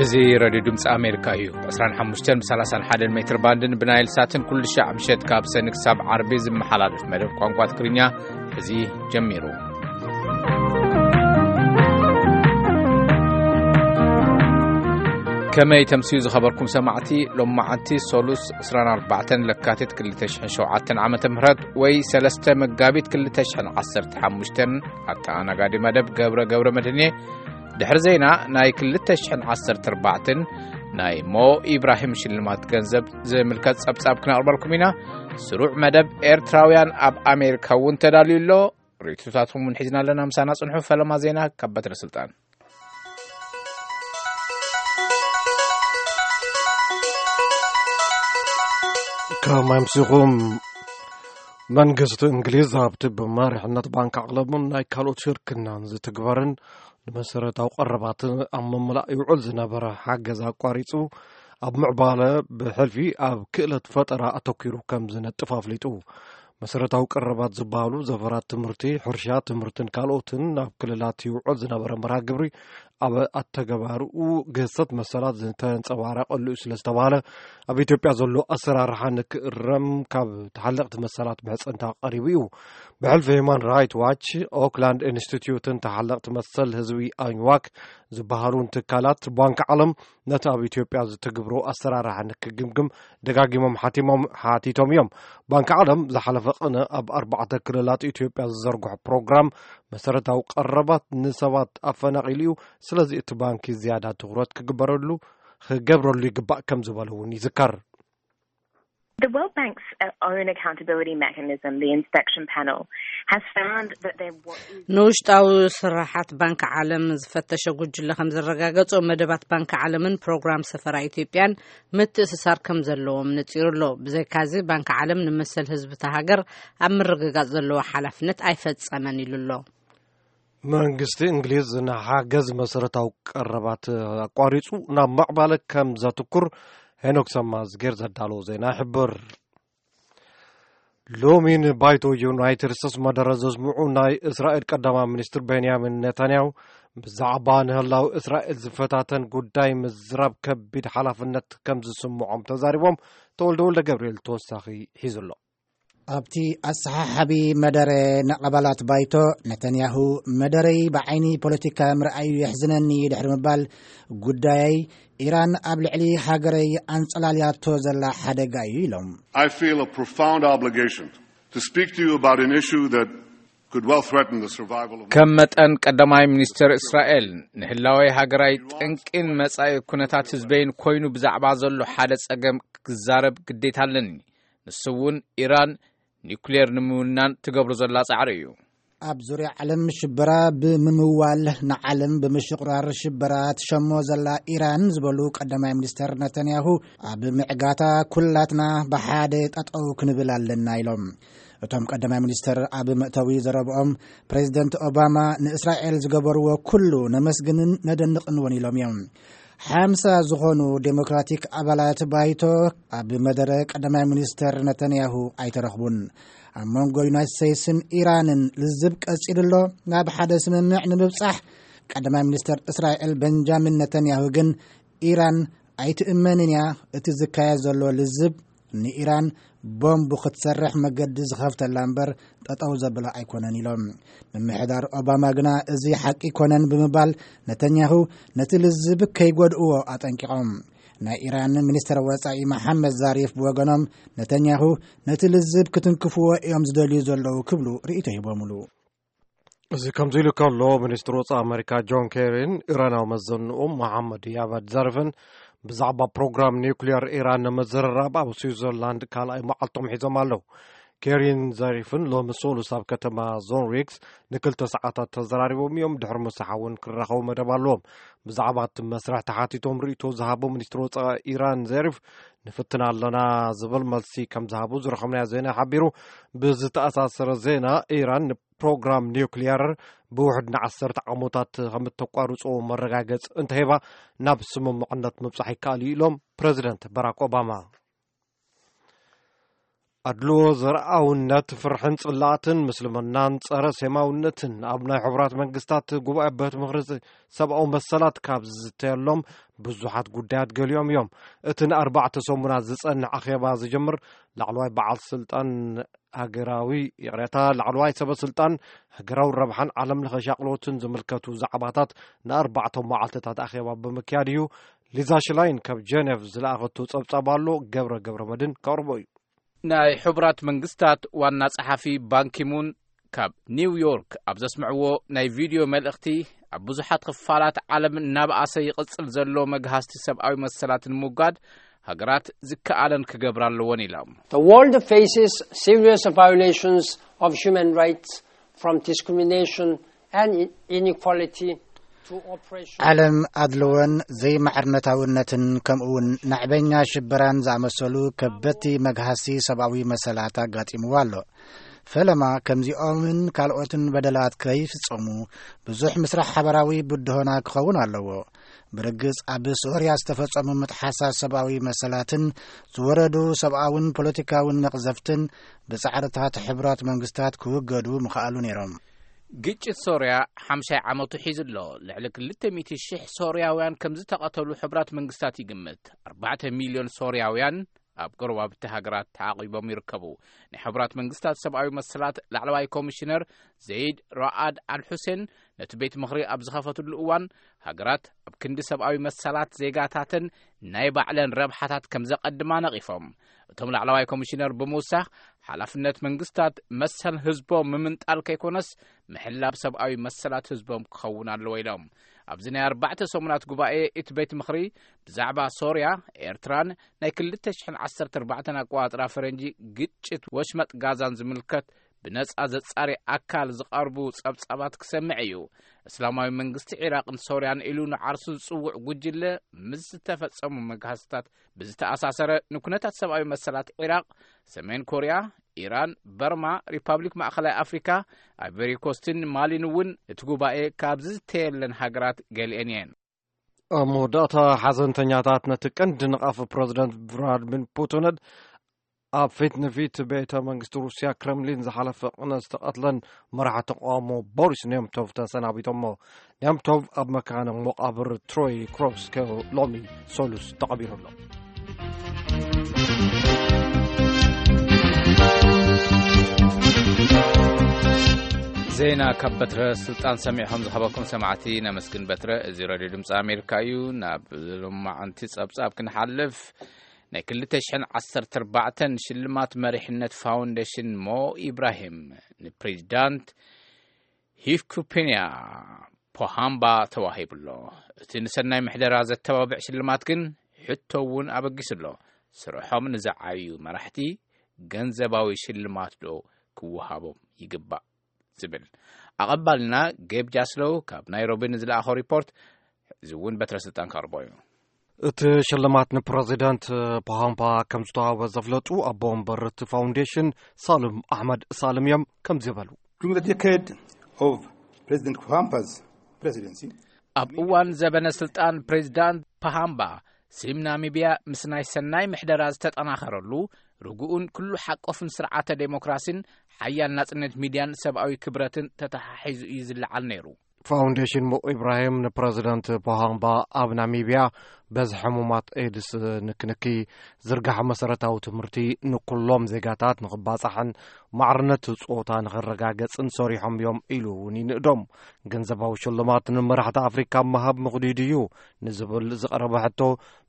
እዚ ሬድዮ ድምፂ ኣሜሪካ እዩ። ብ ዕስራን ሓሙሽተን ብ ሰላሳን ሓደን ሜትር ባንድን ብናይል ሳትን ኩሉ ሻዕ ምሸት ካብ ሰኒ ክሳብ ዓርቢ ዝመሓላለፍ መደብ ቋንቋ ትግርኛ እዚ ጀሚሩ። ከመይ ተምስዩ ዝኸበርኩም ሰማዕቲ? ሎም መዓልቲ ሶሉስ ዕስራን ኣርባዕተን ለካቲት ክልተ ሽሕን ሸውዓተን ዓመተ ምህረት ወይ ሰለስተ መጋቢት ክልተ ሽሕን ዓሰርተ ሓሙሽተን ኣተኣናጋዲ መደብ ገብረ ገብረ መድህኔ። ድሕሪ ዜና ናይ ክልተ ሽሕን ዓሰርተ ኣርባዕተን ናይ ሞ ኢብራሂም ሽልማት ገንዘብ ዝምልከት ጸብጻብ ክነቕርበልኩም ኢና። ስሩዕ መደብ ኤርትራውያን ኣብ ኣሜሪካ እውን ተዳልዩ ኣሎ። ርእይቶታትኩም እውን ሒዝና ኣለና። ምሳና ጽንሑ። ፈለማ ዜና ካብ በትረ ስልጣን። ከመይ ኣምሲኹም? መንግስቲ እንግሊዝ ኣብቲ ብመሪሕነት ባንክ ዓለምን ናይ ካልኦት ሽርክናን ዝትግበርን ንመሰረታዊ ቀረባት ኣብ ምምላእ ይውዕል ዝነበረ ሓገዝ ኣቋሪጹ፣ ኣብ ምዕባለ ብሕልፊ ኣብ ክእለት ፈጠራ ኣተኲሩ ከም ዝነጥፍ ኣፍሊጡ። መሰረታዊ ቀረባት ዝበሃሉ ዘፈራት ትምህርቲ፣ ሕርሻ፣ ትምህርትን ካልኦትን ናብ ክልላት ይውዕል ዝነበረ መርሃ ግብሪ ኣብ ኣተገባርኡ ግህሰት መሰላት ዝተንጸባረቐሉ እዩ ስለ ዝተባሃለ፣ ኣብ ኢትዮጵያ ዘሎ ኣሰራርሓ ንክእረም ካብ ተሓለቕቲ መሰላት ብሕጽንታ ቀሪቡ እዩ። ብሕልፊ ሂማን ራይት ዋች፣ ኦክላንድ ኢንስቲትዩትን ተሓለቕቲ መሰል ህዝቢ ኣኝዋክ ዝበሃሉን ትካላት ባንክ ዓለም ነቲ ኣብ ኢትዮጵያ ዝትግብሮ ኣሰራርሓ ንክግምግም ደጋጊሞም ሓቲሞም-፣ ሓቲቶም እዮም። ባንክ ዓለም ዝሓለፈ ቅነ ኣብ ኣርባዕተ ክልላት ኢትዮጵያ ዝዘርግሖ ፕሮግራም መሰረታዊ ቀረባት ንሰባት ኣፈናቒሉ እዩ። ስለዚ እቲ ባንኪ ዝያዳ ትኹረት ክግበረሉ፣ ክገብረሉ ይግባእ ከም ዝበለ እውን ይዝከር። The World Bank's, uh, own accountability mechanism, the inspection panel, has found that there was ንውሽጣዊ ስራሓት ባንክ ዓለም ዝፈተሸ ጉጅለ ከም ዘረጋገጾ፣ መደባት ባንክ ዓለምን ፕሮግራም ሰፈራ ኢትዮጵያን ምትእስሳር ከም ዘለዎም ነጺሩ ኣሎ። ብዘይካዚ፣ ባንክ ዓለም ንመሰል ህዝቢ እታ ሃገር ኣብ ምርግጋጽ ዘለዎ ሓላፍነት ኣይፈጸመን ኢሉ ኣሎ። መንግስቲ እንግሊዝ ንሓገዝ መሰረታዊ ቀረባት ኣቋሪጹ ናብ ምዕባለ ከም ዘትኩር ሄኖክ ሰማዝጌር ዘዳለዎ ዜና ይሕብር። ሎሚ ንባይቶ ዩናይትድ ስቴትስ መደረ ዘስምዑ ናይ እስራኤል ቀዳማይ ሚኒስትር ቤንያሚን ኔታንያሁ፣ ብዛዕባ ንህላው እስራኤል ዝፈታተን ጉዳይ ምዝራብ ከቢድ ሓላፍነት ከም ዝስምዖም ተዛሪቦም። ተወልደ ወልደ ገብርኤል ተወሳኺ ሒዙ ኣሎ። ኣብቲ ኣሰሓሓቢ መደረ ንኣባላት ባይቶ፣ ነተንያሁ፣ መደረይ ብዓይኒ ፖለቲካ ምርኣዩ የሕዝነኒ ድሕሪ ምባል፣ ጉዳየይ ኢራን ኣብ ልዕሊ ሃገረይ ኣንጸላልያቶ ዘላ ሓደጋ እዩ ኢሎም። I feel a profound obligation to speak to you about an issue that could well threaten the survival of ከም መጠን ቀዳማይ ሚኒስተር እስራኤል፣ ንህላወይ ሃገራይ ጠንቂን መጻኢ ኩነታት ህዝበይን ኮይኑ ብዛዕባ ዘሎ ሓደ ጸገም ክዛረብ ግዴታ ኣለኒ። ንሱ እውን ኢራን ኒውክሌር ንምውናን ትገብሮ ዘላ ጻዕሪ እዩ። ኣብ ዙርያ ዓለም ሽበራ ብምምዋል ንዓለም ብምሽቑራር ሽበራ ትሸሞ ዘላ ኢራን ዝበሉ ቀዳማይ ሚኒስተር ነተንያሁ፣ ኣብ ምዕጋታ ኩላትና ብሓደ ጠጠው ክንብል ኣለና ኢሎም። እቶም ቀዳማይ ሚኒስተር ኣብ መእተዊ ዘረብኦም፣ ፕሬዚደንት ኦባማ ንእስራኤል ዝገበርዎ ኩሉ ነመስግንን ነደንቕን እውን ኢሎም እዮም። ሓምሳ ዝኾኑ ዴሞክራቲክ ኣባላት ባይቶ ኣብ መደረ ቀዳማይ ሚኒስተር ነተንያሁ ኣይተረኽቡን። ኣብ መንጎ ዩናይትድ ስቴትስን ኢራንን ልዝብ ቀጺሉ ኣሎ። ናብ ሓደ ስምምዕ ንምብጻሕ ቀዳማይ ሚኒስተር እስራኤል ቤንጃሚን ነተንያሁ ግን ኢራን ኣይትእመንን እያ፣ እቲ ዝካየድ ዘሎ ልዝብ ንኢራን ቦምቡ ክትሰርሕ መገዲ ዝኸፍተላ እምበር ጠጠው ዘብላ ኣይኮነን ኢሎም። ምምሕዳር ኦባማ ግና እዚ ሓቂ ኮነን ብምባል ነተንያሁ ነቲ ልዝብ ከይጎድእዎ ኣጠንቂቖም። ናይ ኢራን ሚኒስተር ወጻኢ መሓመድ ዛሪፍ ብወገኖም ነተንያሁ ነቲ ልዝብ ክትንክፍዎ እዮም ዝደልዩ ዘለዉ ክብሉ ርእይቶ ሂቦምሉ። እዚ ከምዚ ኢሉ ከሎ፣ ሚኒስትር ወጻኢ ኣመሪካ ጆን ኬሪን ኢራናዊ መዘንኡ መሓመድ ያቫድ ዛሪፍን ብዛዕባ ፕሮግራም ኒውክሊየር ኢራን ንምዝርራብ ኣብ ስዊዘርላንድ ካልኣይ መዓልቶም ሒዞም ኣለዉ። ኬሪን ዛሪፍን ሎሚ ሶሉስ ኣብ ከተማ ዞንሪክስ ንክልተ ሰዓታት ተዘራሪቦም እዮም። ድሕሪ ምሳሕ እውን ክራኸቡ መደብ ኣለዎም። ብዛዕባ እቲ መስርሕ ተሓቲቶም ርእይቶ ዝሃቦ ሚኒስትር ወጻኢ ኢራን ዛሪፍ፣ ንፍትን ኣለና ዝብል መልሲ ከም ዝሃቡ ዝረኸብናዮ ዜና ሓቢሩ። ብዝተኣሳሰረ ዜና፣ ኢራን ንፕሮግራም ኒውክሊየር ብውሕድ ንዓሰርተ ዓመታት ከም እተቋርጾ መረጋገጽ እንተሂባ፣ ናብ ስምምዕነት ምብጻሕ ይከኣል እዩ ኢሎም ፕረዚደንት ባራክ ኦባማ። ኣድልዎ፣ ዘርኣውነት፣ ፍርሕን ጽላእትን፣ ምስልምናን ጸረ ሴማውነትን ኣብ ናይ ሕቡራት መንግስታት ጉባኤ ቤት ምኽሪ ሰብኣዊ መሰላት ካብ ዝዝተየሎም ብዙሓት ጉዳያት ገሊኦም እዮም። እቲ ንኣርባዕተ ሰሙናት ዝጸንሕ ኣኼባ ዝጀምር ላዕለዋይ በዓል ስልጣን ሃገራዊ፣ ይቕሬታ፣ ላዕለዋይ ሰበ ስልጣን ሃገራዊ ረብሓን ዓለም ለኸ ሻቕሎትን ዝምልከቱ ዛዕባታት ንኣርባዕተ መዓልትታት ኣኼባ ብምክያድ እዩ። ሊዛ ሽላይን ካብ ጀኔቭ ዝለኣኸቱ ጸብጻብ ኣሎ፣ ገብረ ገብረ መድን ከቕርቦ እዩ። ናይ ሕቡራት መንግስታት ዋና ጸሓፊ ባንኪሙን ካብ ኒው ዮርክ ኣብ ዘስምዕዎ ናይ ቪድዮ መልእኽቲ፣ ኣብ ብዙሓት ክፋላት ዓለም እናበኣሰ ይቕጽል ዘሎ መግሃስቲ ሰብኣዊ መሰላት ንምውጋድ ሃገራት ዝከኣለን ክገብራ ኣለወን ኢሎም። The world faces serious violations of human rights, from discrimination and inequality to oppression. ዓለም ኣድልዎን ዘይማዕርነታውነትን ከምኡውን ናዕበኛ ሽበራን ዝኣመሰሉ ከበድቲ መግሃስቲ ሰብኣዊ መሰላት ኣጋጢምዋ ኣሎ። ፈለማ ከምዚኦምን ካልኦትን በደላት ከይፍጸሙ ብዙሕ ምስራሕ ሓበራዊ ብድሆና ክኸውን ኣለዎ። ብርግጽ ኣብ ሶርያ ዝተፈጸሙ ምጥሓሳት ሰብኣዊ መሰላትን ዝወረዱ ሰብኣውን ፖለቲካውን መቕዘፍትን ብጻዕርታት ሕቡራት መንግስታት ክውገዱ ምኽኣሉ ነይሮም። ግጭት ሶርያ ሓምሳይ ዓመቱ ሒዙ ኣሎ። ልዕሊ ክልተ ሚእቲ ሽሕ ሶርያውያን ከም ዝተቐተሉ ሕቡራት መንግስታት ይግምት። ኣርባዕተ ሚልዮን ሶርያውያን ኣብ ጎረባብቲ ሃገራት ተዓቒቦም ይርከቡ። ናይ ሕቡራት መንግስታት ሰብኣዊ መሰላት ላዕለዋይ ኮሚሽነር ዘይድ ራኣድ ኣልሑሴን ነቲ ቤት ምኽሪ ኣብ ዝኸፈትሉ እዋን፣ ሃገራት ኣብ ክንዲ ሰብኣዊ መሰላት ዜጋታተን ናይ ባዕለን ረብሓታት ከም ዘቐድማ ነቒፎም። እቶም ላዕለዋይ ኮሚሽነር ብምውሳኽ፣ ሓላፍነት መንግስታት መሰል ህዝቦም ምምንጣል ከይኮነስ፣ ምሕላብ ሰብኣዊ መሰላት ህዝቦም ክኸውን ኣለዎ ኢሎም። ኣብዚ ናይ ኣርባዕተ ሰሙናት ጉባኤ እቲ ቤት ምኽሪ ብዛዕባ ሶርያ፣ ኤርትራን ናይ ክልተ ሽሕን ዓሰርተ ኣርባዕተን ኣቆጻጽራ ፈረንጂ ግጭት ወሽመጥ ጋዛን ዝምልከት ብነጻ ዘጻሪ ኣካል ዝቐርቡ ጸብጻባት ክሰምዕ እዩ። እስላማዊ መንግስቲ ዒራቕን ሶርያን ኢሉ ንዓርሱ ዝጽውዕ ጉጅለ ምስ ዝተፈጸሙ መግሃስታት ብዝተኣሳሰረ ንኩነታት ሰብኣዊ መሰላት ዒራቕ፣ ሰሜን ኮርያ፣ ኢራን፣ በርማ፣ ሪፓብሊክ ማእኸላይ ኣፍሪካ፣ ኣይቨሪ ኮስትን ማሊን እውን እቲ ጉባኤ ካብ ዝዝተየለን ሃገራት ገሊአን እየን። ኣብ መወዳእታ፣ ሓዘንተኛታት ነቲ ቀንዲ ነቓፊ ፕረዚደንት ቭላድሚር ፑቲንን ኣብ ፊት ንፊት ቤተ መንግስቲ ሩስያ ክረምሊን ዝሓለፈ ቅነ ዝተቐትለን መራሒ ተቃውሞ ቦሪስ ኔምቶቭ ተሰናቢቶሞ። ኔምቶቭ ኣብ መካነ መቓብር ትሮይ ክሮቭስክ ሎሚ ሰሉስ ተቐቢሩ ኣሎ። ዜና ካብ በትረ ስልጣን ሰሚዕኹም ዝኸበኩም ሰማዕቲ ነመስግን በትረ። እዚ ሬድዮ ድምፂ ኣሜሪካ እዩ። ናብ ሎማዓንቲ ጸብጻብ ክንሓልፍ፣ ናይ ክልተ ሽሕን ዓሰርተ ኣርባዕተን ሽልማት መሪሕነት ፋውንዴሽን ሞ ኢብራሂም ንፕሬዚዳንት ሂፍኩፒንያ ፖሃምባ ተዋሂቡ ኣሎ። እቲ ንሰናይ ምሕደራ ዘተባብዕ ሽልማት ግን ሕቶ እውን ኣበጊሱ ኣሎ። ስርሖም ንዝዓብዩ መራሕቲ ገንዘባዊ ሽልማት ዶ ክወሃቦም ይግባእ ዝብል። ኣቐባልና ጌብ ጃስሎው ካብ ናይሮቢ ንዝለኣኾ ሪፖርት እዚ እውን በትረ ስልጣን ከቕርቦ እዩ። እቲ ሽልማት ንፕረዚደንት ፖሃምባ ከም ዝተዋህበ ዘፍለጡ ኣቦ ወንበር እቲ ፋውንዴሽን ሳልም ኣሕመድ ሳልም እዮም ከምዚ በሉ። During the decade of President Pohampa's presidency, ኣብ እዋን ዘበነ ስልጣን ፕሬዚዳንት ፓሃምባ፣ ስም ናሚብያ ምስ ናይ ሰናይ ምሕደራ ዝተጠናኸረሉ፣ ርጉኡን ኩሉ ሓቆፍን ስርዓተ ዴሞክራሲን ሓያል ናጽነት ሚድያን ሰብኣዊ ክብረትን ተተሓሒዙ እዩ ዝለዓል ነይሩ። ፋውንዴሽን ሞ ኢብራሂም ንፕረዚደንት ፖሃምባ ኣብ ናሚብያ በዚ ሕሙማት ኤድስ ንክንኪ ዝርጋሐ መሰረታዊ ትምህርቲ ንኩሎም ዜጋታት ንክባጻሕን ማዕርነት ጾታ ንክረጋገጽን ሰሪሖም እዮም ኢሉ እውን ይንእዶም። ገንዘባዊ ሽልማት ንመራሕቲ ኣፍሪካ ምሃብ ምኽዱድ እዩ ንዝብል ዝቐረበ ሕቶ፣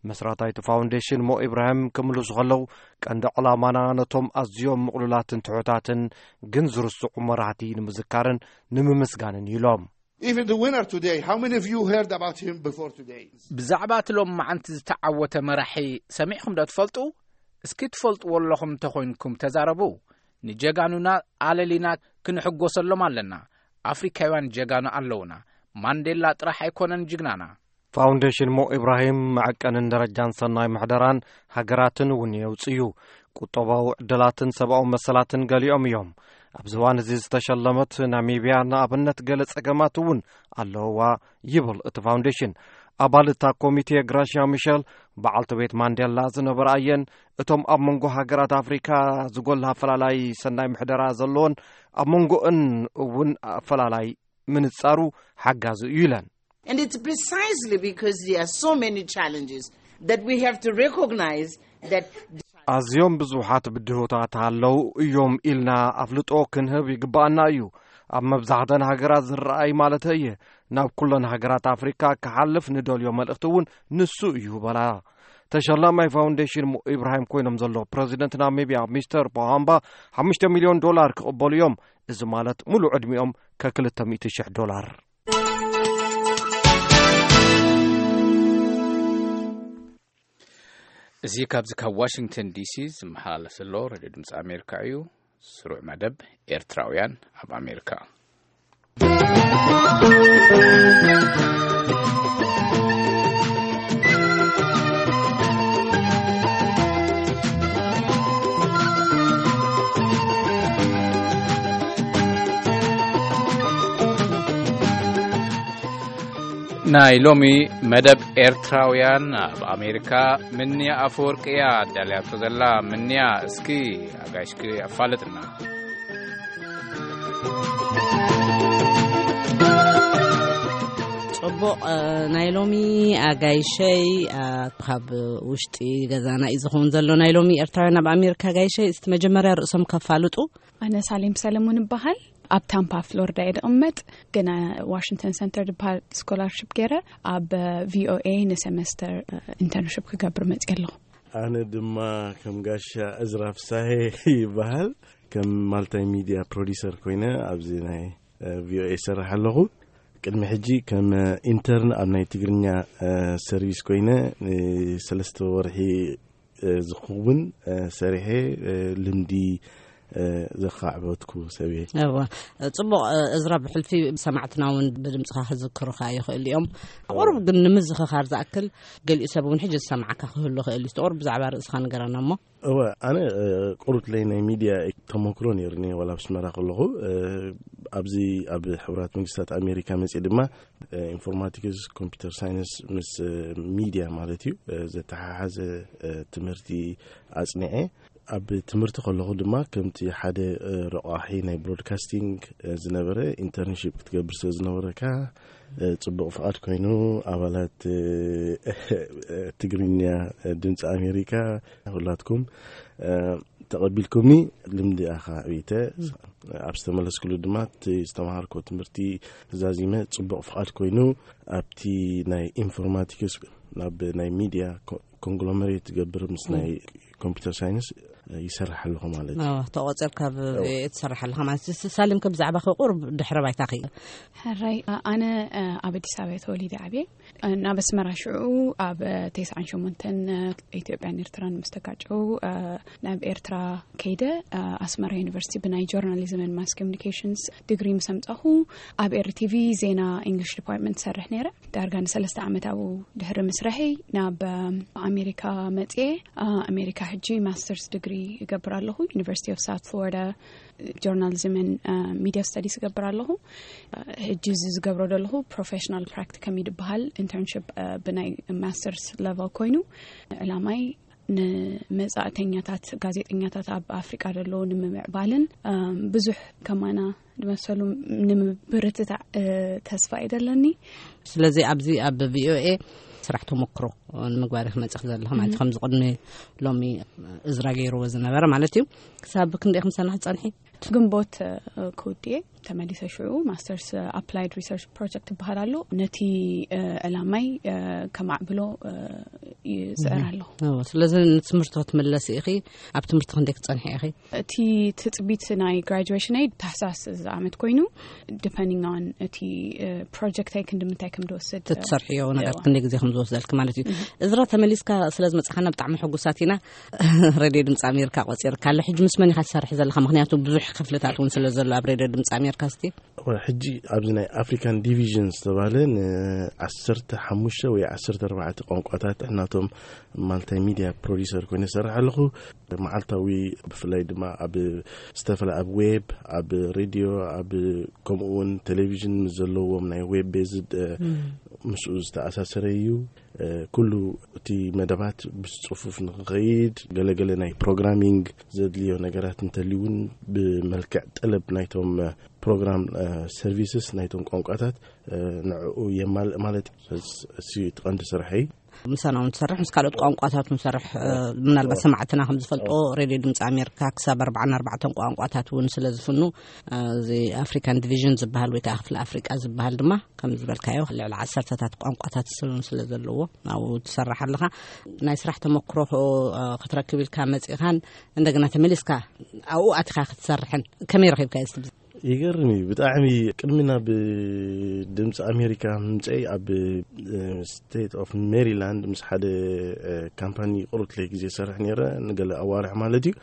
መስራታይ እቲ ፋውንዴሽን ሞ ኢብራሂም ክምልሱ ከለዉ፣ ቀንዲ ዕላማና ነቶም ኣዝዮም ምቕሉላትን ትሑታትን ግን ዝርስዑ መራሕቲ ንምዝካርን ንምምስጋንን እዩ ኢሎም። Even the winner today, how many of you heard about him before today? ብዛዕባ እቲ ሎም መዓንቲ ዝተዓወተ መራሒ ሰሚዕኹም ዶ ትፈልጡ? እስኪ ትፈልጥዎ ኣለኹም እንተኾይንኩም ተዛረቡ። ንጀጋኑና ኣለሊና ክንሕጎሰሎም ኣለና። ኣፍሪካውያን ጀጋኑ ኣለውና። ማንዴላ ጥራሕ ኣይኮነን ጅግናና። ፋውንዴሽን ሞ ኢብራሂም መዐቀንን ደረጃን ሰናይ ምሕደራን ሃገራትን እውን የውጽእ እዩ። ቁጠባዊ ዕድላትን ሰብኣዊ መሰላትን ገሊኦም እዮም። ኣብዚ እዋን እዚ ዝተሸለመት ናሚብያ ንኣብነት ገለ ጸገማት እውን ኣለውዋ ይብል እቲ ፋውንዴሽን። ኣባል እታ ኮሚቴ ግራሽያ ሚሸል፣ በዓልቲ ቤት ማንዴላ ዝነበራ እየን። እቶም ኣብ መንጎ ሃገራት ኣፍሪካ ዝጎልሃ ኣፈላላይ ሰናይ ምሕደራ ዘለዎን ኣብ መንጎእን እውን ኣፈላላይ ምንጻሩ ሓጋዚ እዩ ኢለን። And it's precisely because there are so many challenges that we have to recognize that ኣዝዮም ብዙሓት ብድሆታት ኣለዉ እዮም ኢልና ኣፍልጦ ክንህብ ይግባኣና እዩ። ኣብ መብዛሕተን ሃገራት ዝረኣይ ማለት እየ። ናብ ኩለን ሃገራት ኣፍሪካ ክሓልፍ ንደልዮ መልእኽቲ እውን ንሱ እዩ በላ። ተሸላማይ ፋውንዴሽን ሞ ኢብራሂም ኮይኖም ዘሎ ፕረዚደንት ናሚብያ ሚስተር ፖሃምባ ሓሙሽተ ሚልዮን ዶላር ክቕበሉ እዮም። እዚ ማለት ሙሉእ ዕድሚኦም ከክልተ ሚእቲ ሽሕ ዶላር። እዚ ካብዚ ካብ ዋሽንግተን ዲሲ ዝመሓላለፍ ዘሎ ሬድዮ ድምፂ ኣሜሪካ እዩ። ስሩዕ መደብ ኤርትራውያን ኣብ ኣሜሪካ። ናይ ሎሚ መደብ ኤርትራውያን ኣብ ኣሜሪካ ምንያ ኣፈወርቂ እያ ኣዳልያቶ ዘላ። ምንያ፣ እስኪ ኣጋይሽኪ ኣፋልጥና። ጽቡቕ፣ እ፣ ናይ ሎሚ ኣጋይሸይ፣ እ፣ ካብ ውሽጢ ገዛና እዩ ዝኸውን ዘሎ። ናይ ሎሚ ኤርትራውያን ኣብ ኣሜሪካ ኣጋይሸይ፣ እስቲ መጀመርያ ርእሶም ከፋልጡ። ኣነ ሳሌም ሰለሙን እበሃል። ኣብ ታምፓ ፍሎሪዳ እየ ዝቕመጥ፣ ግን ዋሽንግተን ሰንተር ዝበሃል ስኮላርሽፕ ገይረ ኣብ ቪኦኤ ንሰመስተር ኢንተርንሽፕ ክገብር መፅየ ኣለኹ። ኣነ ድማ ከም ጋሻ እዝራ ፍሳሄ ይበሃል። ከም ማልታይ ሚድያ ፕሮዲሰር ኮይነ ኣብዚ ናይ ቪኦኤ ይሰርሕ ኣለኹ። ቅድሚ ሕጂ ከም ኢንተርን ኣብ ናይ ትግርኛ ሰርቪስ ኮይነ ንሰለስተ ወርሒ ዝኸውን ሰሪሐ ልምዲ ዘኻዕበትኩ ሰብ እየ። እዋ፣ ጽቡቕ። እዝራ፣ ብሕልፊ ሰማዕትና እውን ብድምጽኻ ክዝክሩኻ ይኽእሉ እዮም። ቁሩብ ግን ንምዝኽኻር ዝኣክል፣ ገሊኡ ሰብ እውን ሕጂ ዝሰማዓካ ክህሉ ይኽእል እዩ። ቁሩብ ብዛዕባ ርእስኻ ንገረና እሞ። እወ፣ ኣነ ቁሩብ ለይ ናይ ሚድያ ተመክሮ ነይሩኒ፣ ዋላ ኣብ ኣስመራ ከለኹ። ኣብዚ ኣብ ሕቡራት መንግስታት ኣሜሪካ መፅእ ድማ ኢንፎርማቲክስ፣ ኮምፒውተር ሳይንስ ምስ ሚድያ ማለት እዩ፣ ዘተሓሓዘ ትምህርቲ ኣፅኒዐ። ኣብ ትምህርቲ ከለኹ ድማ ከምቲ ሓደ ረቋሒ ናይ ብሮድካስቲንግ ዝነበረ ኢንተርንሺፕ ክትገብር ስለ ዝነበረካ፣ ጽቡቕ ፍቓድ ኮይኑ፣ ኣባላት ትግርኛ ድምፂ ኣሜሪካ፣ ሁላትኩም ተቐቢልኩምኒ። ልምዲ ኣኻ ዕብተ ኣብ ዝተመለስኩሉ ድማ እቲ ዝተምሃርኮ ትምህርቲ ዛዚመ፣ ጽቡቕ ፍቓድ ኮይኑ ኣብቲ ናይ ኢንፎርማቲክስ ናብ ናይ ሚድያ ኮንግሎመሬት ትገብር ምስ ናይ ኮምፒውተር ሳይንስ ይሰርሕ ኣለኹ ማለት እዩ። ተቆፂርካ ትሰርሕ ኣለኻ ማለት እዩ። ሳሌም፣ ከ ብዛዕባ ቁሩብ ድሕረ ባይታ ኸ? ሕራይ፣ ኣነ ኣብ ኣዲስ ኣበባ ተወሊደ ዓብየ። ናብ ኣስመራ ሽዑ ኣብ ተስዓን ሸሞንተን ኢትዮጵያን ኤርትራን ምስ ተጋጨው፣ ናብ ኤርትራ ከይደ፣ ኣስመራ ዩኒቨርሲቲ ብናይ ጆርናሊዝምን ማስ ኮሚኒኬሽንስ ዲግሪ ምስ ኣምጻኹ፣ ኣብ ኤርቲቪ ዜና ኢንግሊሽ ዲፓርትመንት ሰርሕ ነይረ። ዳርጋ ንሰለስተ ዓመት ኣብኡ ድሕሪ ምስርሐይ ናብ ኣሜሪካ መጽየ። ኣሜሪካ ሕጂ ማስተርስ ዲግሪ እገብር ኣለኹ፣ ዩኒቨርሲቲ ኦፍ ሳውት ፍሎሪዳ ጆርናሊዝምን ሚድያ ስተዲስ እገብር ኣለኹ። ሕጂ እዚ ዝገብሮ ዘለኹ ፕሮፌሽናል ፕራክቲከም እዩ ዝበሃል፣ ኢንተርንሽፕ ብናይ ማስተርስ ለቨል ኮይኑ፣ ዕላማይ ንመጻእተኛታት ጋዜጠኛታት ኣብ ኣፍሪቃ ዘለዉ ንምምዕባልን ብዙሕ ከማና ዝመሰሉ ንምብርትታዕ ተስፋ እዩ ዘለኒ። ስለዚ ኣብዚ ኣብ ቪኦኤ ስራሕ ተመክሮ ንምግባር ክመጽእ ዘለኹ ማለት እዩ። ከምዚ ቅድሚ ሎሚ እዝራ ገይርዎ ዝነበረ ማለት እዩ። ክሳብ ክንደይ ክምሰና ክጸንሒ? ግንቦት ክውድእ እየ። ተመሊሰ ሽዑ ማስተርስ ኣፕላይድ ሪሰርች ፕሮጀክት ይበሃል ኣሎ። ነቲ ዕላማይ ከማዕብሎ ይፅዕር ኣለኹ። ስለዚ ንትምህርቲ ክትምለሲ ኢኺ። ኣብ ትምህርቲ ክንደይ ክትፀንሒ ኢኺ? እቲ ትፅቢት ናይ ግራጁዌሽነይ ታሕሳስ እዚ ዓመት ኮይኑ፣ ዲፐንዲንግ ኦን እቲ ፕሮጀክተይ ክንዲ ምንታይ ከም ዝወስድ፣ ትሰርሕዮ ነገር ክንደይ ግዜ ከም ዝወስደልኪ ማለት እዩ። እዝራ፣ ተመሊስካ ስለ ዝመፅኻና ብጣዕሚ ሕጉሳት ኢና። ሬድዮ ድምፂ ኣሜሪካ ቆፂርካ ኣሎ። ሕጂ ምስ መን ኢኻ ትሰርሒ ዘለኻ? ምክንያቱ ብዙሕ ክፍልታት እውን ስለ ዘሎ ኣብ ሬድዮ ድምፂ ኣሜሪካ። እስቲ ሕጂ ኣብዚ ናይ ኣፍሪካን ዲቪዥን ዝተባለ ንዓሰርተ ሓሙሽተ ወይ ዓሰርተ ኣርባዕተ ቋንቋታት እናቶም ማልታይ ሚድያ ፕሮዲሰር ኮይነ ይሰርሕ ኣለኹ። መዓልታዊ፣ ብፍላይ ድማ ኣብ ዝተፈላ ኣብ ዌብ፣ ኣብ ሬድዮ፣ ኣብ ከምኡ እውን ቴሌቪዥን ምስ ዘለዎም ናይ ዌብ ቤዝድ ምስኡ ዝተኣሳሰረ እዩ። ኩሉ እቲ መደባት ብፅፉፍ ንክኸይድ ገለገለ ናይ ፕሮግራሚንግ ዘድልዮ ነገራት እንተልዩ እውን ብመልክዕ ጠለብ ናይቶም ፕሮግራም ሰርቪስስ ናይቶም ቋንቋታት ንዕኡ የማልእ ማለት እዩ። እሱ እቲ ቀንዲ ስርሐይ። ምሳና እውን ትሰርሕ፣ ምስ ካልኦት ቋንቋታት ንሰርሕ። ምናልባት ሰማዕትና ከም ዝፈልጦ፣ ሬድዮ ድምፂ ኣሜሪካ ክሳብ ኣርባዓን ኣርባዕተን ቋንቋታት እውን ስለ ዝፍኑ፣ እዚ ኣፍሪካን ዲቪዥን ዝበሃል ወይ ከዓ ክፍሊ ኣፍሪቃ ዝበሃል ድማ ከም ዝበልካዮ ልዕሊ ዓሰርተታት ቋንቋታት ስለ ዘለዎ ኣብኡ ትሰርሕ ኣለኻ። ናይ ስራሕ ተመክሮ ክትረክብ ኢልካ መፂእኻን እንደገና ተመሊስካ ኣብኡ ኣቲኻ ክትሰርሕን ከመይ ረኺብካ? ይገርም እዩ ብጣዕሚ። ቅድሚ ናብ ድምፂ ኣሜሪካ ምምፀይ ኣብ ስቴት ኦፍ ሜሪላንድ ምስ ሓደ ካምፓኒ ቅሩትለይ ግዜ ሰርሕ ነረ፣ ንገለ ኣዋርሕ ማለት እዩ።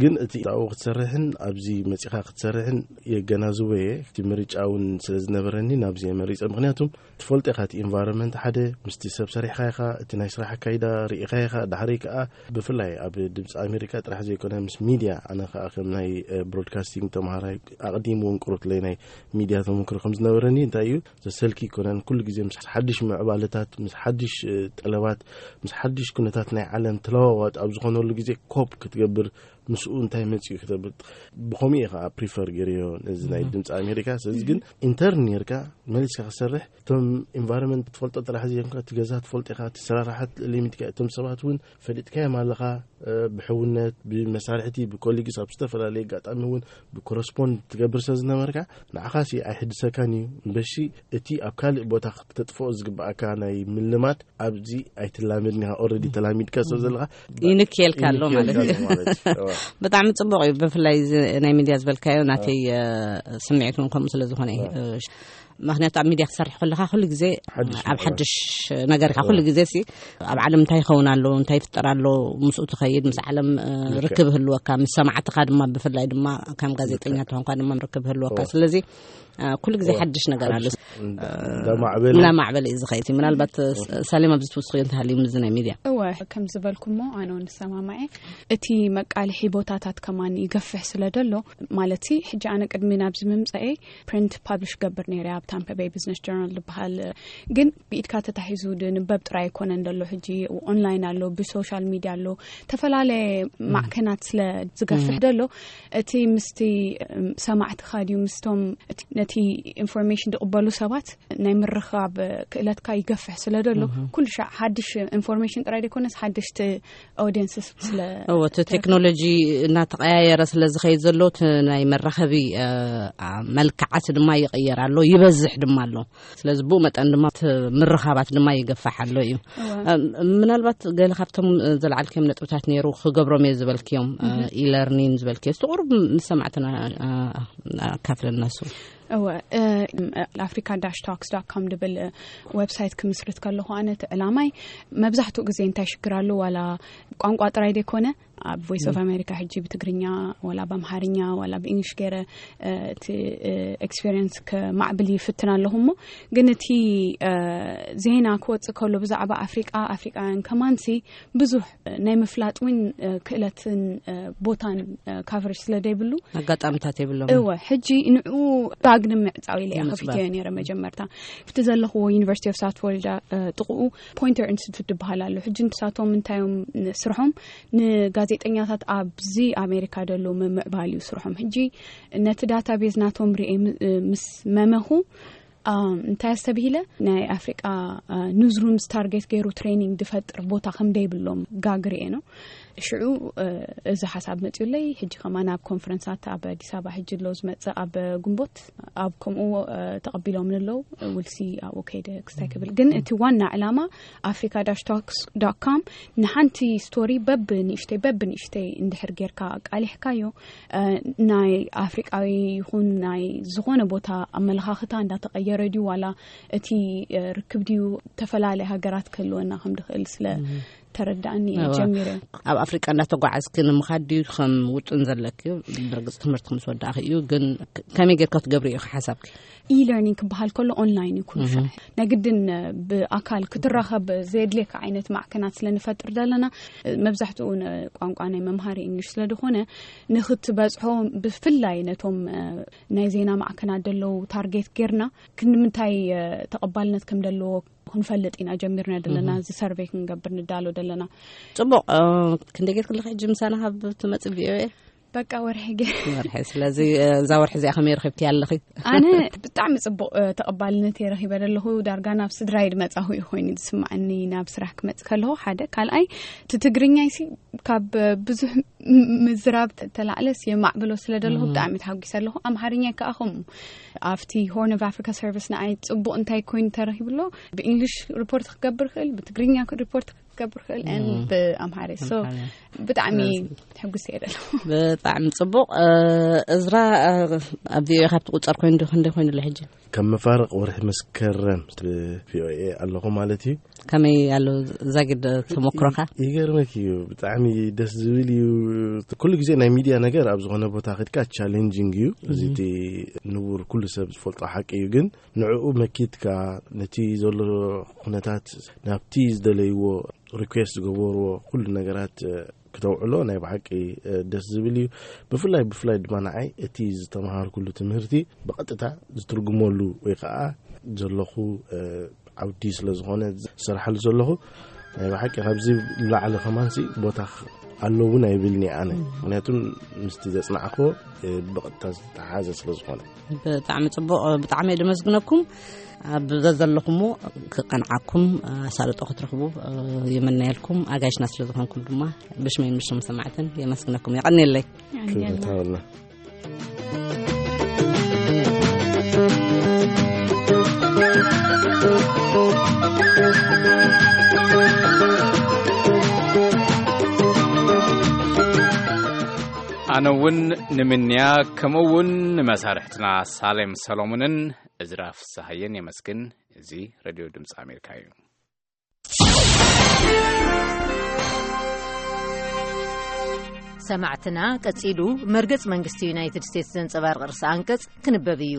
ግን እቲ ኣብኡ ክትሰርሕን ኣብዚ መፂኻ ክትሰርሕን የገናዝቦ እየ። እቲ ምርጫ እውን ስለ ዝነበረኒ ናብዚ እየ መሪፀ። ምክንያቱም ትፈልጦ ኢኻ፣ እቲ ኢንቫይሮንመንት ሓደ ምስቲ ሰብ ሰሪሕካ ኢኻ፣ እቲ ናይ ስራሕ ኣካይዳ ርኢኻ ኢኻ። ዳሕረይ ከዓ ብፍላይ ኣብ ድምፂ ኣሜሪካ ጥራሕ ዘይኮነ ምስ ሚድያ፣ ኣነ ከዓ ከም ናይ ብሮድካስቲንግ ተምሃራይ ኣቕዲሙ እውን ቅሩትለይ ናይ ሚድያ ተመክሮ ከም ዝነበረኒ እንታይ እዩ ዘሰልኪ ይኮነን። ኩሉ ግዜ ምስ ሓድሽ ምዕባለታት፣ ምስ ሓድሽ ጠለባት፣ ምስ ሓድሽ ኩነታት ናይ ዓለም ተለዋዋጥ ኣብ ዝኾነሉ ግዜ ኮፕ ክትገብር፣ ምስኡ እንታይ መፅኡ ክተብል። ብኸምኡ እየ ከዓ ፕሪፈር ገይረዮ ነዚ ናይ ድምፂ ኣሜሪካ። ስለዚ ግን ኢንተርን ነርካ መሊስካ ክሰርሕ፣ እቶም ኢንቫይሮንመንት ትፈልጦ ጥራሕ ዘይኮንካ፣ እቲ ገዛ ትፈልጦ ኢኻ፣ እቲ ስራርሓት ሊሚትካ፣ እቶም ሰባት እውን ፈሊጥካዮም ኣለኻ። ብሕውነት፣ ብመሳርሕቲ፣ ብኮሊግስ፣ ኣብ ዝተፈላለዩ ኣጋጣሚ እውን ብኮረስፖንድ ትገብር ስለ ዝነበርካ፣ ንዓኻ ሲ ኣይሕድሰካን እዩ። እምበሺ እቲ ኣብ ካልእ ቦታ ክተጥፍኦ ዝግባኣካ ናይ ምልማድ ኣብዚ ኣይትላመድን ኢኻ። ኦልሬዲ ተላሚድካ ሰብ ዘለኻ ይንክየልካ ኣሎ ማለት እዩ። ብጣዕሚ ፅቡቅ እዩ። ብፍላይ እዚ ናይ ሚድያ ዝበልካዮ ናተይ ስምዒት እውን ከምኡ ስለ ዝኾነ እዩ። ምክንያቱ ኣብ ሚድያ ክሰርሕ ከለካ ኩሉ ግዜ ኣብ ሓድሽ ነገር ኢካ። ኩሉ ግዜ ሲ ኣብ ዓለም እንታይ ይኸውን ኣሎ፣ እንታይ ይፍጠር ኣሎ፣ ምስኡ ትኸይድ፣ ምስ ዓለም ርክብ ህልወካ፣ ምስ ሰማዕትካ ድማ፣ ብፍላይ ድማ ከም ጋዜጠኛ ተኾንካ ድማ ርክብ ህልወካ። ስለዚ ኩሉ ግዜ ሓድሽ ነገር ኣሎ። እንዳማዕበለ እናማዕበለ እዩ ዝኸይድ። ምናልባት ሳሌም ኣብዚ ትውስኽዮ እንተሃልዩ ምዚ ናይ ሚድያ። እወ፣ ከም ዝበልኩሞ ኣነ እውን ንሰማማዐ። እቲ መቃልሒ ቦታታት ከማን ይገፍሕ ስለ ደሎ፣ ማለት ሲ ሕጂ ኣነ ቅድሚ ናብዚ ምምፀኤ ፕሪንት ፓብሊሽ ገብር ነይረ ኣብ ታምፓ ቤይ ቢዝነስ ጆርናል ዝበሃል። ግን ብኢድካ ተታሒዙ ድንበብ ጥራይ ኣይኮነን ደሎ። ሕጂ ኦንላይን ኣሎ፣ ብሶሻል ሚድያ ኣሎ፣ ተፈላለየ ማዕከናት ስለ ዝገፍሕ ደሎ፣ እቲ ምስቲ ሰማዕትኻ ድዩ ምስቶም ነቲ ኢንፎርሜሽን ዝቕበሉ ሰባት ናይ ምርኻብ ክእለትካ ይገፍሕ ስለ ደሎ፣ ኩሉ ሻዕ ሓድሽ ኢንፎርሜሽን ጥራይ ዘይኮነስ ሓደሽቲ ኦዲየንስስ ስለ እዎ፣ እቲ ቴክኖሎጂ እናተቐያየረ ስለ ዝኸይድ ዘሎ፣ እቲ ናይ መራኸቢ መልክዓት ድማ ይቕየር ኣሎ፣ ይበዝሕ ድማ ኣሎ። ስለዚ ብኡ መጠን ድማ እቲ ምርኻባት ድማ ይገፋሕ ኣሎ እዩ። ምናልባት ገለ ካብቶም ዘለዓልክዮም ነጥብታት ነይሩ ክገብሮም እየ ዝበልክዮም፣ ኢለርኒን ዝበልክዮ፣ እስቲ ቁሩብ ምስ ሰማዕትና ኣካፍለና እሱ። እወ፣ ኣፍሪካ ዳሽ ታክስ ዳት ኮም ድብል ዌብሳይት ክምስርት ከለኹ ኣነ እቲ ዕላማይ መብዛሕትኡ ግዜ እንታይ ሽግር ኣሎ፣ ዋላ ቋንቋ ጥራይ ዘይኮነ ኣብ ቮይስ ኦፍ ኣሜሪካ ሕጂ ብትግርኛ ዋላ ብኣምሓርኛ ዋላ ብእንግሊሽ ገይረ እቲ ኤክስፔሪንስ ከማዕብል ይፍትን ኣለኹ። እሞ ግን እቲ ዜና ክወፅእ ከሎ ብዛዕባ ኣፍሪቃ፣ ኣፍሪቃውያን ከማንሲ ብዙሕ ናይ ምፍላጥ እውን ክእለትን ቦታን ካቨሬጅ ስለ ዘይብሉ ኣጋጣምታት የብሎም። እወ፣ ሕጂ ንዕኡ ዳግም ምዕፃው ኢለ እየ ከፊተዮ ነይረ። መጀመርታ ኣብቲ ዘለኽዎ ዩኒቨርሲቲ ኦፍ ሳውት ፍሎሪዳ ጥቕኡ ፖይንተር ኢንስቲቱት ዝበሃል ኣሎ። ሕጂ ንሳቶም እንታዮም ስርሖም ንጋዜጠኛታት ኣብዚ ኣሜሪካ ደሎ ምምዕባል እዩ ስርሖም። ሕጂ ነቲ ዳታቤዝ ናቶም ርኤ ምስ መመኹ እንታይ ኣስተብሂለ፣ ናይ ኣፍሪቃ ኑዝሩምስ ታርጌት ገይሩ ትሬኒንግ ዝፈጥር ቦታ ከም ዘይብሎም ጋግ ርኤ ነው። ሽዑ እዚ ሓሳብ መፅኡለይ። ሕጂ ከማን ኣብ ኮንፈረንሳት ኣብ ኣዲስ ኣበባ ሕጂ ኣሎ ዝመፅእ ኣብ ግንቦት፣ ኣብ ከምኡ ተቐቢሎም ንለው ውልሲ ኣብኡ ከይደ ክስታይ ክብል። ግን እቲ ዋና ዕላማ ኣፍሪካ ዳሽ ታክስ ዳት ኮም ንሓንቲ ስቶሪ በብ ንእሽተይ በብ ንእሽተይ እንድሕር ጌርካ ኣቃሊሕካዮ ናይ ኣፍሪቃዊ ይኹን ናይ ዝኾነ ቦታ ኣመለኻኽታ እንዳተቐየረ ድዩ ዋላ እቲ ርክብ ድዩ ተፈላለየ ሃገራት ክህልወና ከም ድኽእል ስለ ተረዳእኒ እየ እዋ። ጀሚረ። ኣብ ኣፍሪቃ እንዳተጓዓዝኪ ንምኻድ ድዩ ከም ውጥን ዘለኪ? ብርግጽ ትምህርቲ ምስ ወዳእኺ እዩ፣ ግን ክ-፣ ከመይ ጌርካ ትገብሪ እዩ ሓሳብኪ? E-learning ክበሃል ከሎ ኦንላይን እዩ ኩሉ እህ። ሻዕ። ናይ ግድን ብኣካል ክትራኸብ ዘየድልየካ ዓይነት ማዕከናት ስለ ንፈጥር ዘለና፣ መብዛሕትኡ ን-፣ ቋንቋ ናይ መምሃሪ እንግሊሽ ስለ ዝኾነ፣ ንኽትበጽሖ ብፍላይ ነቶም፣ እ፣ ናይ ዜና ማዕከናት ዘለዉ ታርጌት ጌርና ክንምንታይ፣ እ፣ ተቐባልነት ከም ዘለዎ ክንፈልጥ ኢና ጀሚርና ዘለና፣ እህ። እዚ ሰርቬይ ክንገብር ንዳሎ ዘለና። ጽቡቕ፣ እ፣ ክንደይ ጌርክለኺ ሕጂ ምሳና ካብ ትመጽእ V O A? በቃ ወርሒ ገ-፣ ወርሒ። ስለዚ፣ እ፣ እዛ ወርሒ እዚኣ ከመይ ረኺብኪ ኣለኺ? ኣነ ብጣዕሚ ጽቡቕ፣ እ፣ ተቐባልነት እየ ረኺበ ዘለኹ። ዳርጋ ናብ ስድራይ ድመጻኹ እዩ ኮይኑ ዝስምዓኒ፣ ናብ ስራሕ ክመጽእ ከለኹ ሓደ። ካልኣይ፣ እቲ ትግርኛይ ሲ ካብ ብዙሕ ም-፣ ምዝራብ ተ-፣ ተላዕለስ የማዕብሎ ስለ ዘለኹ እም። ብጣዕሚ ተሓጒሰ ኣለኹ። ኣምሓርኛ ከኣ ከምኡ። ኣብቲ Horn of Africa Service ንዓይ ጽቡቕ እንታይ ኮይኑ ተረኺቡ ኣሎ? ብእንግሊሽ ሪፖርት ክገብር ክእል፣ ብትግርኛ ክ-፣ ሪፖርት ክገብር ክእል፣ and እም። ብኣምሓርኛ። So፣ ኣምሓርኛ። ብጣዕሚ ስለዚ ተሐጒሰ እየ ዘለኹ። ብጣዕሚ ጽቡቕ። እ፣ እዝራ፣ እ፣ ኣብ V O A ካብቲ ቁጸር ኮይኑ ዶ ክንደይ ኮይኑ ኣሎ ሕጂ? ከም መፋርቕ ወርሒ መስከረም ብ-፣ V O A ኣለኹ ማለት እዩ። ከመይ ኣሎ ዛጊድ ተሞክሮኻ? ይገርመክ እዩ፣ ብጣዕሚ ደስ ዝብል እዩ። ኩሉ ግዜ ናይ ሚድያ ነገር ኣብ ዝኾነ ቦታ ከድካ ቻሌንጂንግ እዩ። እዚ እም። እቲ ንቡር ኩሉ ሰብ ዝፈልጦ ሓቂ እዩ፣ ግን ንዕኡ መኪትካ ነቲ ዘሎ ኩነታት ናብቲ ዝደለይዎ ሪኩዌስት ዝገበርዎ ኩሉ ነገራት፣ እ፣ ክተውዕሎ ናይ ብሓቂ፣ እ፣ ደስ ዝብል እዩ። ብፍላይ፣ ብፍላይ ድማ ንዓይ እቲ ዝተምሃርኩሉ ትምህርቲ ብቐጥታ ዝትርጉመሉ ወይ ከዓ ዘለኹ፣ እ፣ ዓውዲ ስለ ዝኾነ ዝሰርሓሉ ዘለኹ ናይ ብሓቂ ካብዚ ንላዕሊ ከማንሲ ቦታ ኽ-፣ ኣሎ እውን ኣይብልኒ ኣነ። ምክንያቱ ምስቲ ዘጽናዕኮ፣ እ፣ ብቐጥታ ዝተሓዘ ስለ ዝኾነ። ብጣዕሚ ጽቡቕ፣ ብጣዕሚ እየ ደመስግነኩም። ኣብ ዘዘለኹሞ ክቐንዓኩም፣ ኣሳልጦ ክትረኽቡ፣ እ፣ ይምነየልኩም። ኣጋይሽና ስለ ዝኾንኩም ድማ ብሽመይን ብሽም ሰማዕትን የመስግነኩም። የቐንየለይ። ክብረት ሃበልና። ኣነ እውን ንምንያ፣ ከምኡ እውን ንመሳርሕትና ሳሌም ሰሎሞንን እዝራ ፍስሃየን የመስግን። እዚ ሬድዮ ድምፂ ኣሜሪካ እዩ። ሰማዕትና፣ ቀጺሉ መርገጽ መንግስቲ ዩናይትድ ስቴትስ ዘንጸባርቕ ርእሰ ኣንቀጽ ክንበብ እዩ።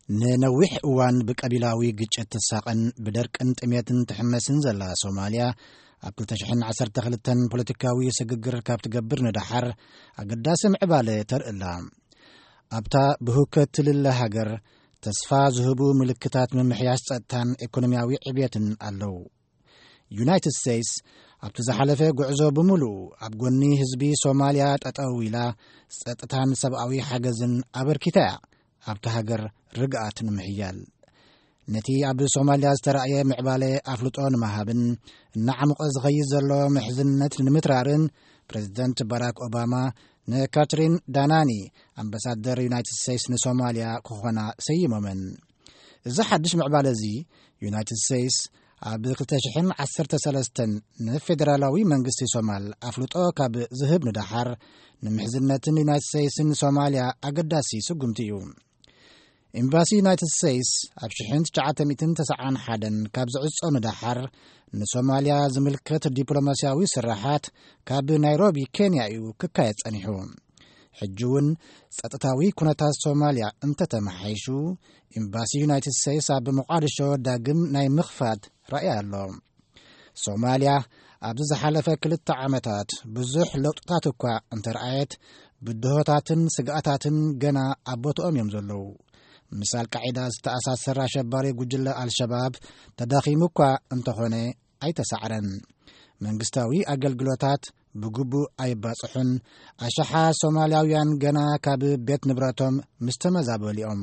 ንነዊሕ እዋን ብቀቢላዊ ግጭት ትሳቐን ብደርቅን ጥሜትን ትሕመስን ዘላ ሶማልያ፣ ኣብ ክልተ ሽሕን ዓሰርተ ክልተን ፖለቲካዊ ስግግር ካብ ትገብር ንደሓር ኣገዳሲ ምዕባለ ተርእላ። ኣብታ ብህውከት ትልለ ሃገር፣ ተስፋ ዝህቡ ምልክታት ምምሕያሽ ጸጥታን ኢኮኖሚያዊ ዕብየትን ኣለዉ። ዩናይትድ ስቴትስ ኣብቲ ዝሓለፈ ጉዕዞ ብምሉኡ ኣብ ጎኒ ህዝቢ ሶማልያ ጠጠው ኢላ፣ ጸጥታን ሰብኣዊ ሓገዝን ኣበርኪታ እያ፣ ኣብታ ሃገር ርግኣት ንምሕያል። ነቲ ኣብ ሶማልያ ዝተራእየ ምዕባለ ኣፍልጦ ንምሃብን እናዓሙቐ ዝኸይድ ዘሎ ምሕዝነት ንምትራርን፣ ፕሬዚደንት ባራክ ኦባማ ንካትሪን ዳናኒ፣ ኣምባሳደር ዩናይትድ ስቴትስ ንሶማልያ ክኾና ሰይሞመን። እዚ ሓድሽ ምዕባለ እዚ፣ ዩናይትድ ስቴትስ ኣብ ክልተ ሽሕን ዓሰርተ ሰለስተን ንፌዴራላዊ መንግስቲ ሶማል ኣፍልጦ ካብ ዝህብ ንደሓር፣ ንምሕዝነትን ዩናይትድ ስቴትስን ሶማልያ ኣገዳሲ ስጉምቲ እዩ። ኤምባሲ ዩናይትድ ስቴትስ ኣብ ሽሕን ትሽዓተ ሚእትን ተስዓን ሓደን ካብ ዝዕጾ ንደሓር፣ ንሶማልያ ዝምልከት ዲፕሎማስያዊ ስራሓት ካብ ናይሮቢ ኬንያ እዩ ክካየድ ጸኒሑ። ሕጂ እውን ጸጥታዊ ኩነታት ሶማልያ እንተተመሓይሹ፣ ኤምባሲ ዩናይትድ ስቴትስ ኣብ ሞቃዲሾ ዳግም ናይ ምኽፋት ራእይ ኣሎ። ሶማልያ ኣብዚ ዝሓለፈ ክልተ ዓመታት ብዙሕ ለውጥታት እኳ እንተረኣየት፣ ብድሆታትን ስግኣታትን ገና ኣብ ቦትኦም እዮም ዘለዉ። ምስ ኣልቃዒዳ ዝተኣሳሰር ኣሸባሪ ጉጅለ ኣልሸባብ ተዳኺሙ እኳ እንተኾነ ኣይተሳዕረን። መንግስታዊ ኣገልግሎታት ብግቡእ ኣይባጽሑን። ኣሽሓት ሶማልያውያን ገና ካብ ቤት ንብረቶም ምስ ተመዛበሉ እዮም።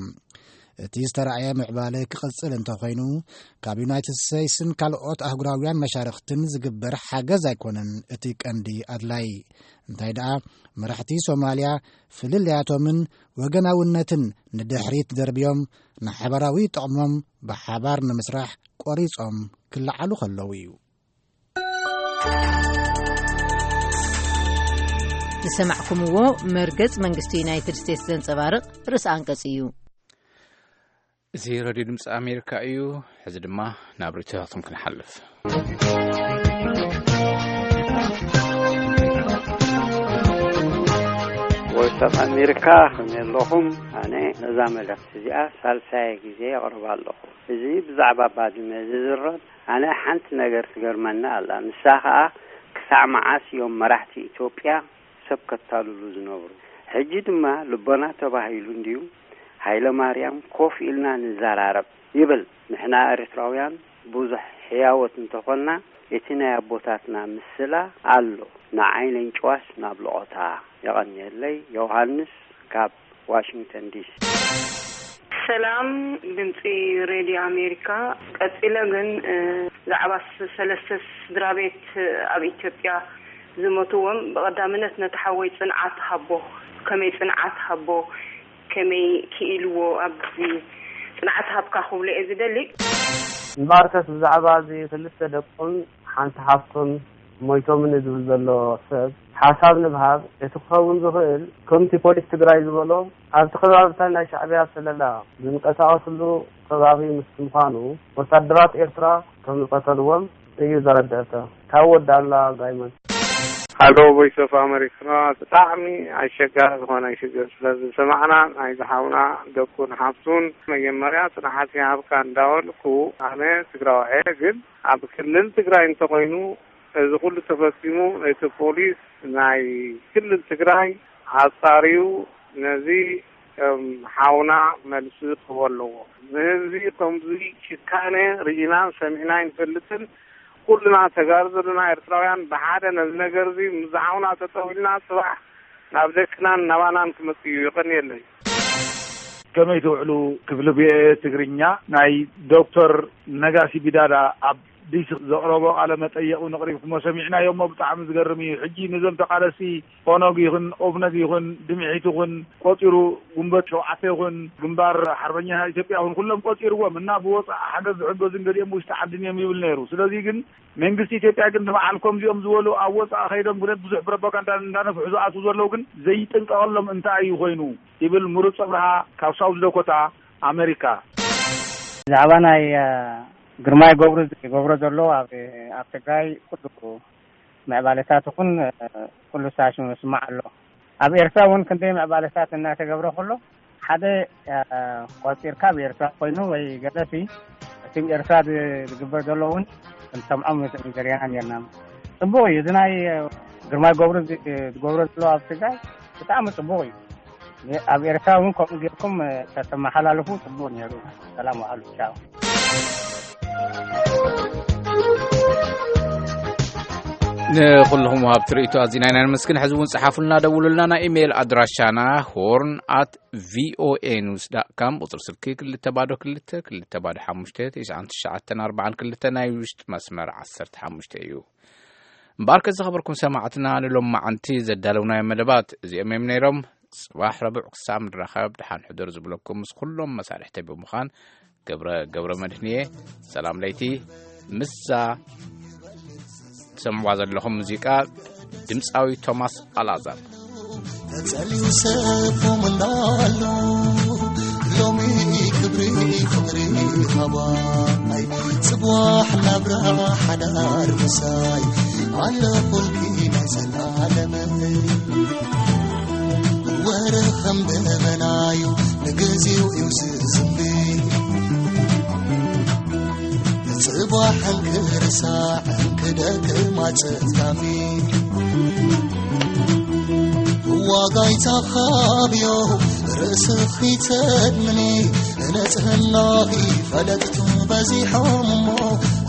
እቲ ዝተራእየ ምዕባለ ክቕጽል እንተኾይኑ፣ ካብ ዩናይትድ ስቴትስን ካልኦት ኣህጉራውያን መሻርኽትን ዝግበር ሓገዝ ኣይኮነን እቲ ቀንዲ ኣድላይ። እንታይ ደኣ፣ መራሕቲ ሶማልያ ፍልልያቶምን ወገናውነትን ንድሕሪት ደርብዮም፣ ንሓበራዊ ጥቕሞም ብሓባር ንምስራሕ ቆሪጾም ክለዓሉ ከለዉ እዩ። ዝሰማዕኩምዎ መርገጽ መንግስቲ ዩናይትድ ስቴትስ ዘንጸባርቕ ርእሰ ኣንቀጽ እዩ። እዚ ሬድዮ ድምፂ ኣሜሪካ እዩ። ሕዚ ድማ ናብ ርእይቶታቶም ክንሓልፍ። ኣብ ኣሜሪካ ከመይ ኣለኹም? ኣነ ነዛ መልእኽቲ እዚኣ ሳልሳይ ግዜ የቕርባ ኣለኹ። እዚ ብዛዕባ ባድመ ዝዝረብ፣ ኣነ ሓንቲ ነገር ትገርመኒ ኣላ። ንሳ ኸኣ፣ ክሳዕ መዓስ እዮም መራሕቲ ኢትዮጵያ ሰብ ከታልሉ ዝነብሩ? ሕጂ ድማ ልቦና ተባሂሉ እንድዩ፣ ሃይለ ማርያም፣ ኮፍ ኢልና ንዘራረብ ይብል። ንሕና ኤርትራውያን ብዙሕ ሕያወት እንተኾንና፣ እቲ ናይ ኣቦታትና ምስላ ኣሎ። ንዓይ ነንጭዋስ ናብ ልቖታ። የቐንየለይ። ዮሃንስ ካብ ዋሽንግተን ዲሲ። ሰላም ድምፂ ሬድዮ ኣሜሪካ። ቀፂለ ግን፣ እ፣ ብዛዕባ ስ-፣ ሰለስተ ስድራ ቤት ኣብ ኢትዮጵያ ዝሞትዎም፣ ብቐዳምነት ነቲ ሓወይ ጽንዓት ሃቦ፣ ከመይ ጽንዓት ሃቦ፣ ከመይ ክኢልዎ ኣብዚ ጽንዓት ሃብካ ክብሎ እየ ዝደሊ። እምበኣርከስ ብዛዕባ እዚ ክልተ ደቁን ሓንቲ ሓፍቱን ሞይቶምኒ ዝብል ዘሎ ሰብ ሓሳብ ንብሃብ፣ እቲ ክኸውን ዝኽእል ከምቲ ፖሊስ ትግራይ ዝበሎ ኣብቲ ከባብታት ናይ ሻዕብያ ስለላ ዝንቀሳቐስሉ ከባቢ ምስ ምዃኑ ወታደራት ኤርትራ ከም ዝቐተልዎም እዩ ዘረድአካ። ካብ ወዲ ኣላ ጋይመን። ሃሎ ቮይስ ኦፍ ኣሜሪካ፣ ብጣዕሚ ኣሸጋሪ ዝኾነ ሽግር ስለ ዝሰማዕና፣ ናይ ዝሓውና ደቁን ሓፍቱን መጀመርያ ጽንዓት ይሃብካ እንዳበልኩ፣ ኣነ ትግራዋይ እየ፣ ግን ኣብ ክልል ትግራይ እንተኾይኑ እዚ ኩሉ ተፈጺሙ፣ እቲ ፖሊስ ናይ ክልል ትግራይ ኣጻርዩ ነዚ፣ እም፣ ሓውና መልሲ ክህቦ ኣለዎ። ንህዝቢ ከምዚ ጭካነ ርኢናን ሰሚዕና ኣይንፈልጥን። ኩልና ተጋሩ ዘለና ኤርትራውያን ብሓደ ነዚ ነገር እዚ ምስ ዝሓውና ተጠው ኢልና፣ ጽባሕ ናብ ደቅናን ናባናን ክመጽእ እዩ። ይቐንየለይ። ከመይ ትውዕሉ? ክፍሊ ቪኦኤ ትግርኛ፣ ናይ ዶክተር ነጋሲ ቢዳዳ ኣብ ዲሲ ዘቕረቦ ቃለ መጠየቕ እውን ኣቕሪብኩሞ ሰሚዕናዮ እሞ ብጣዕሚ ዝገርም እዩ። ሕጂ ነዞም ተቓለስቲ ኦነግ ይኹን ኦብነግ ይኹን ድምዒት ይኹን ቆጺሩ፣ ጉንበት ሸውዓተ ይኹን ግንባር ሓርበኛ ኢትዮጵያ ይኹን ኩሎም ቆጺርዎም እና ብወጻኢ ሓገዝ ዝሕገዙ እንገዲኦም ውሽጢ ዓድን እዮም ይብል ነይሩ። ስለዚ ግን መንግስቲ ኢትዮጵያ ግን ንበዓል ከምዚኦም ዝበሉ ኣብ ወጻኢ ከይዶም ብረት ብዙሕ ፕሮፓጋንዳ እንዳነፍሑ ዝኣትዉ ዘለዉ ግን ዘይጥንቀቐሎም እንታይ እዩ ኮይኑ? ይብል ምሩፅ ኣብርሃ ካብ ሳውዝ ዳኮታ ኣሜሪካ። ብዛዕባ ናይ፣ እ፣ ግርማይ ገብሩ ዝገብሮ ዘሎ ኣብ፣ ኣብ ትግራይ ኩሉ ምዕባለታት ይኹን፣ እ፣ ኩሉ ሳሽኑ ይስማዕ ኣሎ። ኣብ ኤርትራ እውን ክንደይ ምዕባለታት እናተገብረ ከሎ ሓደ፣ እ፣ ቆፂርካ ኣብ ኤርትራ ኮይኑ ወይ ገለሲ እቲ ኣብ ኤርትራ ዝ-፣ ዝግበር ዘሎ እውን ክንሰምዖም ንዘርያና ነርና። ጽቡቕ እዩ። እዚ ናይ፣ እ፣ ግርማይ ገብሩ ዝ-፣ ዝገብሮ ዘሎ ኣብ ትግራይ ብጣዕሚ ጽቡቕ እዩ። ኣብ ኤርትራ እውን ከምኡ ጌርኩም፣ እ፣ ተተመሓላልፉ ጽቡቕ ነይሩ። ሰላም ዋዕሉ። ቻው። ንኹልኹም ወሃብቲ ርእይቶ ኣዚና ኢና ነመስግን። ሕዚ እውን ጸሓፉልና፣ ደውሉልና። ናይ ኢሜይል ኣድራሻና ሆርን ኣት ቪኦኤ ኒውስ ዳት ካም፣ ቁጽሪ ስልኪ ክልተ ባዶ ክልተ ክልተ ባዶ ሓሙሽተ ትሽዓን ትሽዓተን ኣርባዓን ክልተ፣ ናይ ውሽጢ መስመር ዓሰርተ ሓሙሽተ እዩ። እምበኣርከ ዝኸበርኩም ሰማዕትና፣ ንሎማዓንቲ ዘዳለውናዮ መደባት እዚኦም እዮም ነይሮም። ጽባሕ ረቡዕ ክሳብ ንራኸብ ደሓን ሕደሩ ዝብለኩም ምስ ኩሎም መሳርሕተይ ብምዃን ገብረ፣ ገብረ መድህን እየ። ሰላም ለይቲ። ምስዛ ትሰምዕዋ ዘለኹም ሙዚቃ ድምፃዊ ቶማስ ኣልኣዛር። ተጸልዩ ሰፎም እንዳሉ ሎሚ ክብሪ ፍቕሪ ኻባይ ጽባሕ ናብራ ሓዳር ምሳይ ኣለኹልኪ ናይ ዘላለመይ። ወረ ከም ደበናዩ ንግዜኡ እዩ ዝዝንቢ። ጽባሕ እንክርሳዕ እንክደክም ኣጸድካኒ። ዋጋይ ተኻብዮ ርእስኺ ተድምኒ። ንጽህናኺ ፈለጥቱ በዚሖም እሞ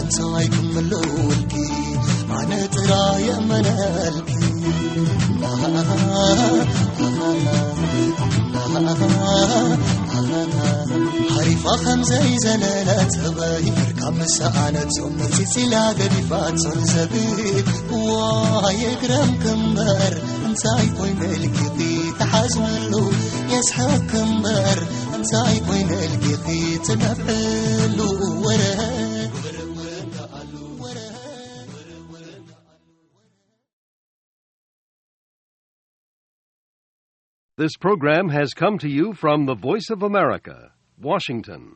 እንታይ ክምልውልኪ? ኣነ ጥራይ የመነልኪ። ሓሪፋ ከም ዘይዘለለት ህበይ፣ ካብ ምሰኣነት ጾም መጺጺላ ገዲፋ ጾል ዘብል። ዋይ እግረም ክምበር እንታይ ኮይነ ልኪኺ ተሓዝነሉ? የስሕቅ ክምበር እንታይ ኮይነ ልኪኺ ትነፍዕሉ? ወረ This program has come to you from the Voice of America, Washington.